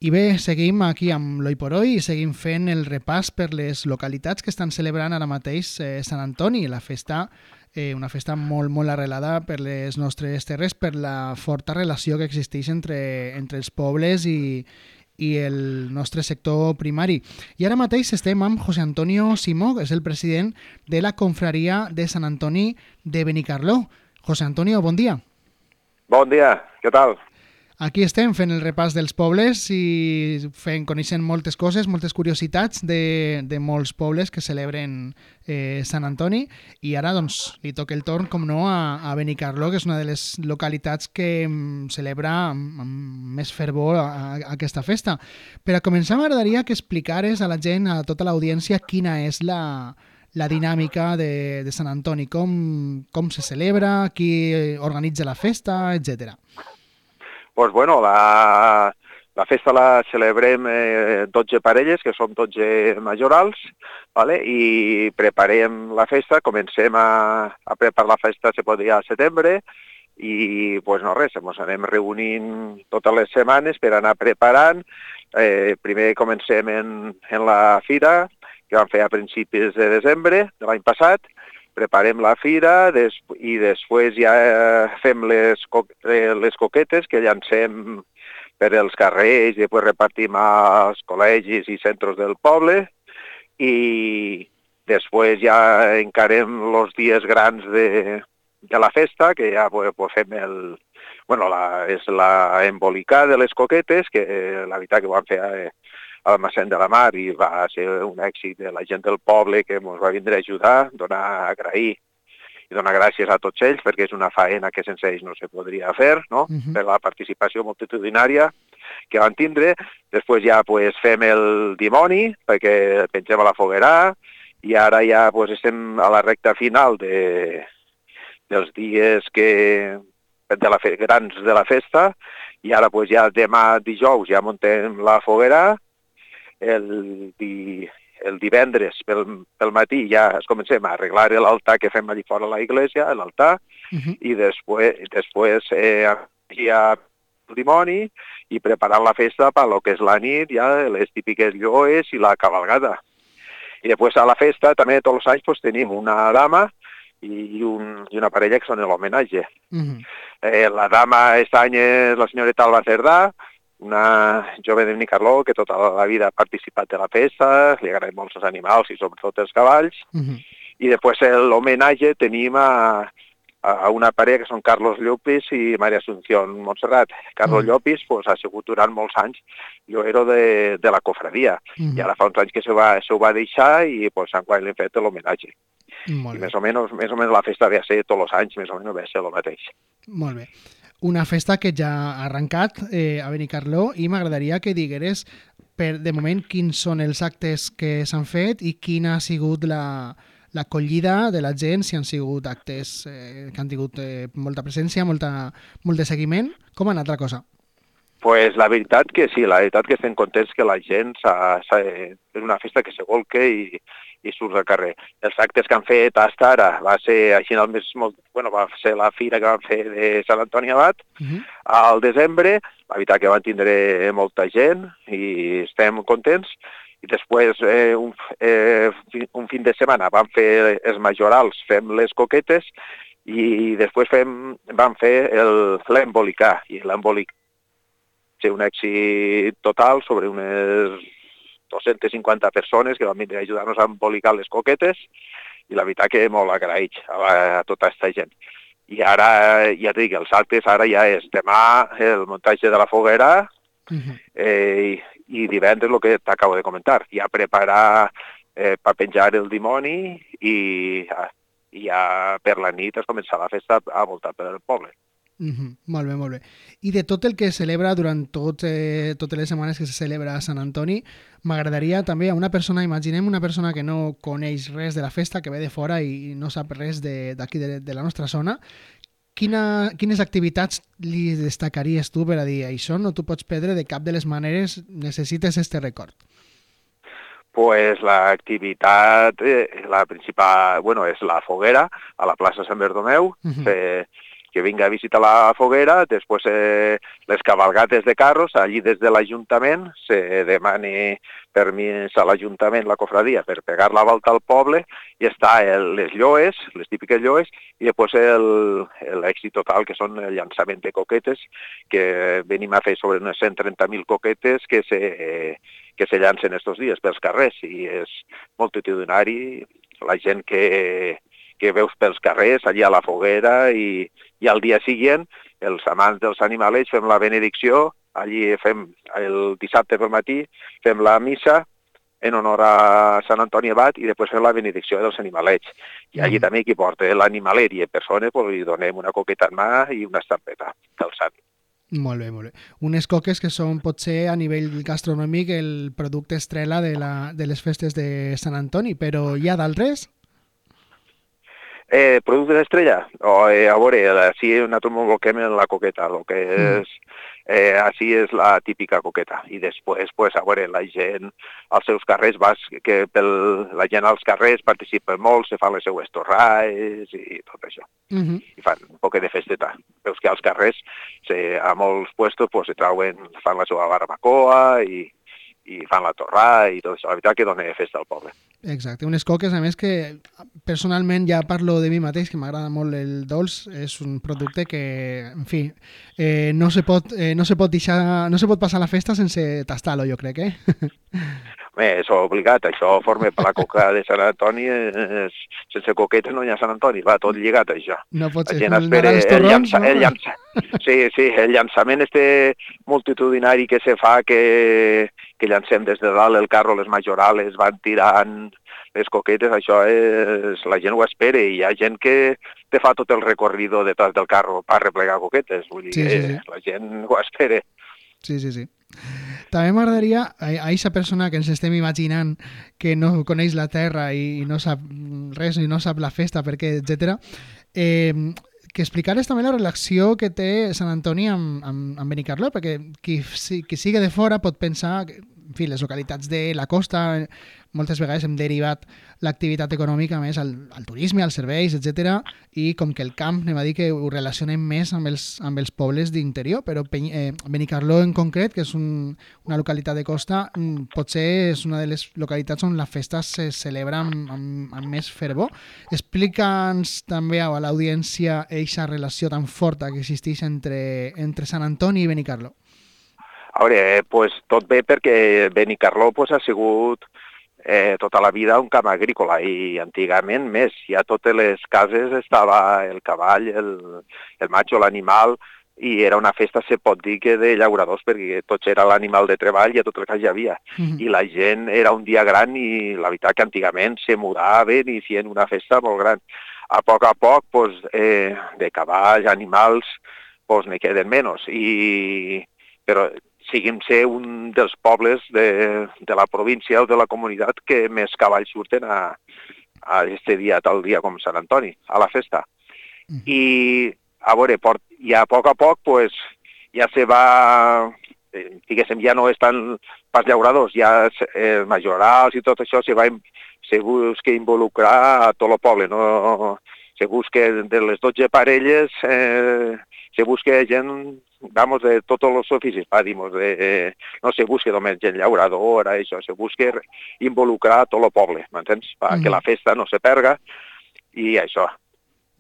I bé, seguim aquí amb l'Oi por Oi i seguim fent el repàs per les localitats que estan celebrant ara mateix Sant Antoni, la festa, una festa molt arrelada per les nostres terres, per la forta relació que existeix entre els pobles i el nostre sector primari. I ara mateix estem amb José Antonio Simó, que és el president de la confraria de Sant Antoni de Benicarló. José Antonio, bon dia. Bon dia, què tal? Aquí estem fent el repàs dels pobles i coneixent moltes coses, moltes curiositats de molts pobles que celebren Sant Antoni, i ara doncs li toca el torn, com no, a Benicarló, que és una de les localitats que celebra amb més fervor aquesta festa. Per a començar, m'agradaria que explicares a la gent, a tota l'audiència, quina és la dinàmica de Sant Antoni, com se celebra, qui organitza la festa, etcètera. Doncs bueno, la festa la celebrem 12 parelles, que som 12 majorals, ¿vale? I preparem la festa, comencem a preparar la festa, se pot dir, al setembre, i pues no res, ens anem reunint totes les setmanes per anar preparant. Primer comencem en la fira, que vam fer a principis de desembre de l'any passat. Preparem la fira i després ja fem les coquetes que llancem per els carrers i després repartim als col·legis i centres del poble, i després ja encarem els dies grans de la festa, que ja fem és l'embolicar de les coquetes, que la veritat que ho vam fer al Massent de la Mar i va ser un èxit de la gent del poble que ens va vindre a ajudar, agrair i donar gràcies a tots ells, perquè és una faena que sense ells no se podria fer, no? Per la participació multitudinària que van tindre. Després ja fem el dimoni, perquè pengem a la foguera, i ara ja estem a la recta final dels dies grans de la festa, i ara ja demà dijous ja muntem la foguera. El divendres pel matí ja comencem a arreglar l'altar que fem allà fora a la iglesia, l'altar, i després ja el dimoni i preparant la festa per lo que és la nit, ja les típiques lloes i la cabalgada. I després a la festa també tots els anys tenim una dama i una parella que són l'homenatge. La dama aquest any és la senyoreta Alba Cerdà, una jove de Benicarló que tota la vida ha participat de la festa, li agraden molt els animals i sobretot els cavalls. I després l'homenatge tenim a una parella que són Carlos Llopis i Maria Asunción Montserrat. Carlos Llopis ha sigut durant molts anys lloero de la cofradia, i ara fa uns anys que se ho va deixar i enguany li hem fet l'homenatge. I més o menys la festa ve a ser tots els anys, més o menys ve a ser el mateix. Molt bé. Una festa que ja ha arrencat a Benicarló, i m'agradaria que digueres de moment quins són els actes que s'han fet i quina ha sigut l'acollida de la gent, si han sigut actes que han tingut molta presència, molt de seguiment. Com ha anat la cosa? Pues la veritat que sí, la veritat que estem contents que la gent és una festa que se volca i surt al carrer. Els actes que han fet fins ara va ser així va ser la fira que van fer de Sant Antoni Abat al desembre. La veritat que van tindre molta gent i estem contents. I després, un fin de setmana, vam fer els majorals, fem les coquetes, i després vam fer l'embolicar. I l'embolicar va ser un èxit total, sobre unes 250 persones que van venir a ajudar-nos a embolicar les coquetes, i la veritat que molt agraït a tota aquesta gent. I ara, ja et dic, els actes ara ja és demà el muntatge de la foguera, i divendres el que t'acabo de comentar, ja preparar per penjar el dimoni, i ja per la nit es començar la festa a voltar pel poble. Molt bé, molt bé. I de tot el que es celebra durant totes les setmanes que se celebra a Sant Antoni, m'agradaria també a una persona, imaginem una persona que no coneix res de la festa, que ve de fora i no sap res d'aquí de la nostra zona, quines activitats li destacaries tu per a dir això no t'ho pots perdre de cap de les maneres, necessites este record? Pues l'activitat, la principal, és la foguera a la plaça Sant Bartomeu. que vinga a visitar la foguera, després les cabalgates de carros, allí des de l'Ajuntament se demani permís a l'Ajuntament, la cofradia, per pegar la volta al poble, i està les lloes, les típiques lloes, i després l'èxit total, que són el llançament de coquetes, que venim a fer sobre unes 130.000 coquetes que se llancen estos dies pels carrers, i és multitudinari, la gent que veus pels carrers, allà a la foguera, i al dia següent, els amants dels animalets fem la benedicció, allí fem el dissabte pel matí, fem la missa en honor a Sant Antoni Abat i després fem la benedicció dels animalets. I allí també qui porta l'animalet i en persona li donem una coqueta en mà i una estampeta del sant. Molt bé, molt bé. Unes coques que són potser a nivell gastronòmic el producte estrella de les festes de Sant Antoni, però hi ha d'altres? Productes estrella? A veure, així nosaltres ens bloquem en la coqueta, el que és... així és la típica coqueta. I després, pues, a veure, la gent als seus carrers, la gent als carrers participa molt, se fan les seues torrades i tot això. I fan un poc de festeta. Veus que als carrers, a molts puestos, pues, fan la seva barbacoa i fan la torrada i tot això. La veritat que dona festa al poble. Exacte, unes coques, a més, que personalment ja parlo de mi mateix, que m'agrada molt el dolç, és un producte que, en fi, no se pot passar la festa sense tastar-lo, jo crec, Bé, és obligat, això forma per la coca de Sant Antoni, sense coquetes no hi ha Sant Antoni, va tot lligat, això. No pot ser, el torrons, no? Sí, el llançament multitudinari que se fa, que llancem des de dalt el carro, les majorales, van tirant les coquetes, això la gent ho espera, i hi ha gent que te fa tot el recorrido detrás del carro per replegar coquetes, vull dir que la gent ho espera. Sí. També m'agradaria, a aquesta persona que ens estem imaginant que no coneix la terra i no sap res i no sap la festa, perquè, etc., que explicares també la relació que té Sant Antoni amb Benicarló, perquè qui sigui de fora pot pensar que, en fi, les localitats de la costa moltes vegades hem derivat l'activitat econòmica més al turisme, als serveis, etc. I com que el camp, anem a dir que ho relacionem més amb els pobles d'interior, però Benicarló en concret, que és una localitat de costa, potser és una de les localitats on la festa se celebra amb més fervor. Explica'ns també a l'audiència aquesta relació tan forta que existeix entre Sant Antoni i Benicarló. A veure, tot bé perquè Benicarló ha sigut tota la vida un camp agrícola i antigament més. Ja a totes les cases estava el cavall, el matxo, l'animal, i era una festa, se pot dir, que de llauradors, perquè tots era l'animal de treball i a tot el cas hi havia. I la gent era un dia gran i la veritat que antigament se mudaven i feien una festa molt gran. A poc, de cavalls, animals, n'hi queden menys. Però seguim ser un dels pobles de la província o de la comunitat que més cavalls surten a este dia, tal dia com Sant Antoni, a la festa. I, a veure, ja a poc, ja se va, diguéssim, ja no estan pas llauradors, ja majorals i tot això se busca involucrar a tot el poble, no? Se busca de les 12 parelles, se busca gent, de tots els oficis, no se busca només gent llauradora, això, se busca involucrar a tot el poble, m'entens? Que la festa no se perga i això.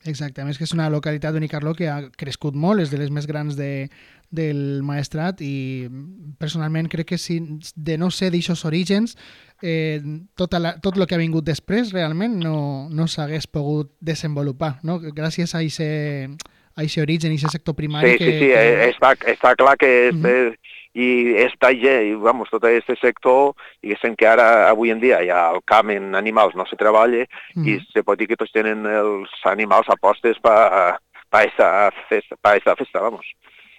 Exacte, a més que és una localitat Benicarló que ha crescut molt, és de les més grans del Maestrat i personalment crec que si de no ser d'aixòs orígens tot el que ha vingut després realment no s'hagués pogut desenvolupar, no? Gràcies a aquest origen, a aquest sector primari. Sí, està clar que i tot aquest sector, diguéssim que ara, avui en dia, ja el camp en animals no se treballa i se pot dir que tots tenen els animals a postes per aquesta festa, vamos.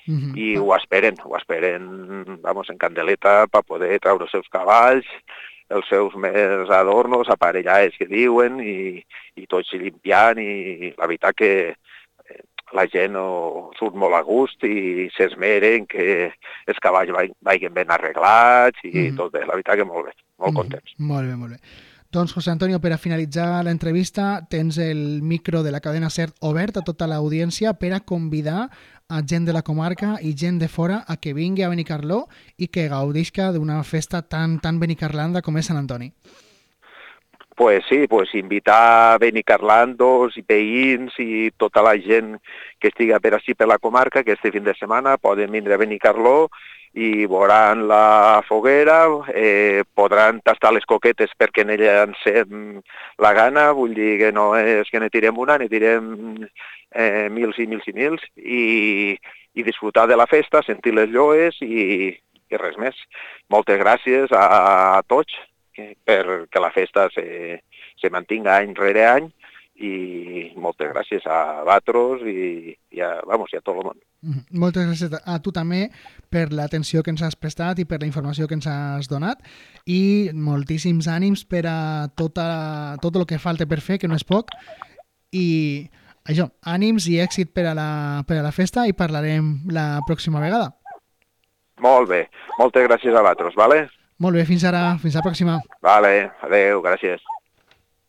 I ho esperen, en candeleta, per poder treure els seus cavalls, els seus més adornos, aparellades que diuen, i tots limpiant, i la veritat que la gent surt molt a gust i s'esmeren que els cavalls vagin ben arreglats i tot bé, la veritat que molt bé, molt contents. Molt bé. Doncs, José Antonio, per a finalitzar l'entrevista, tens el micro de la cadena SER obert a tota l'audiència per a convidar a gent de la comarca i gent de fora a que vingui a Benicarló i que gaudisca d'una festa tan benicarlanda com és Sant Antoni. Pues sí, pues invitar benicarlandos i veïns i tota la gent que estiga per així per la comarca, que este fin de setmana poden vindre a Benicarló i veuran la foguera, podran tastar les coquetes perquè en ella encem la gana, vull dir que no és que ne tirem una, ne tirem mils i mils i mils, i disfrutar de la festa, sentir les lloes i res més. Moltes gràcies a tots perquè la festa se mantinga any rere any, i moltes gràcies a Batros i a tot el món. Moltes gràcies a tu també per l'atenció que ens has prestat i per la informació que ens has donat, i moltíssims ànims per a tot el que falta per fer, que no és poc, i això, ànims i èxit per a la festa, i parlarem la pròxima vegada. Molt bé, moltes gràcies a Batros, vale? Molt bé, fins ara, fins la pròxima. Vale, adeu, gràcies.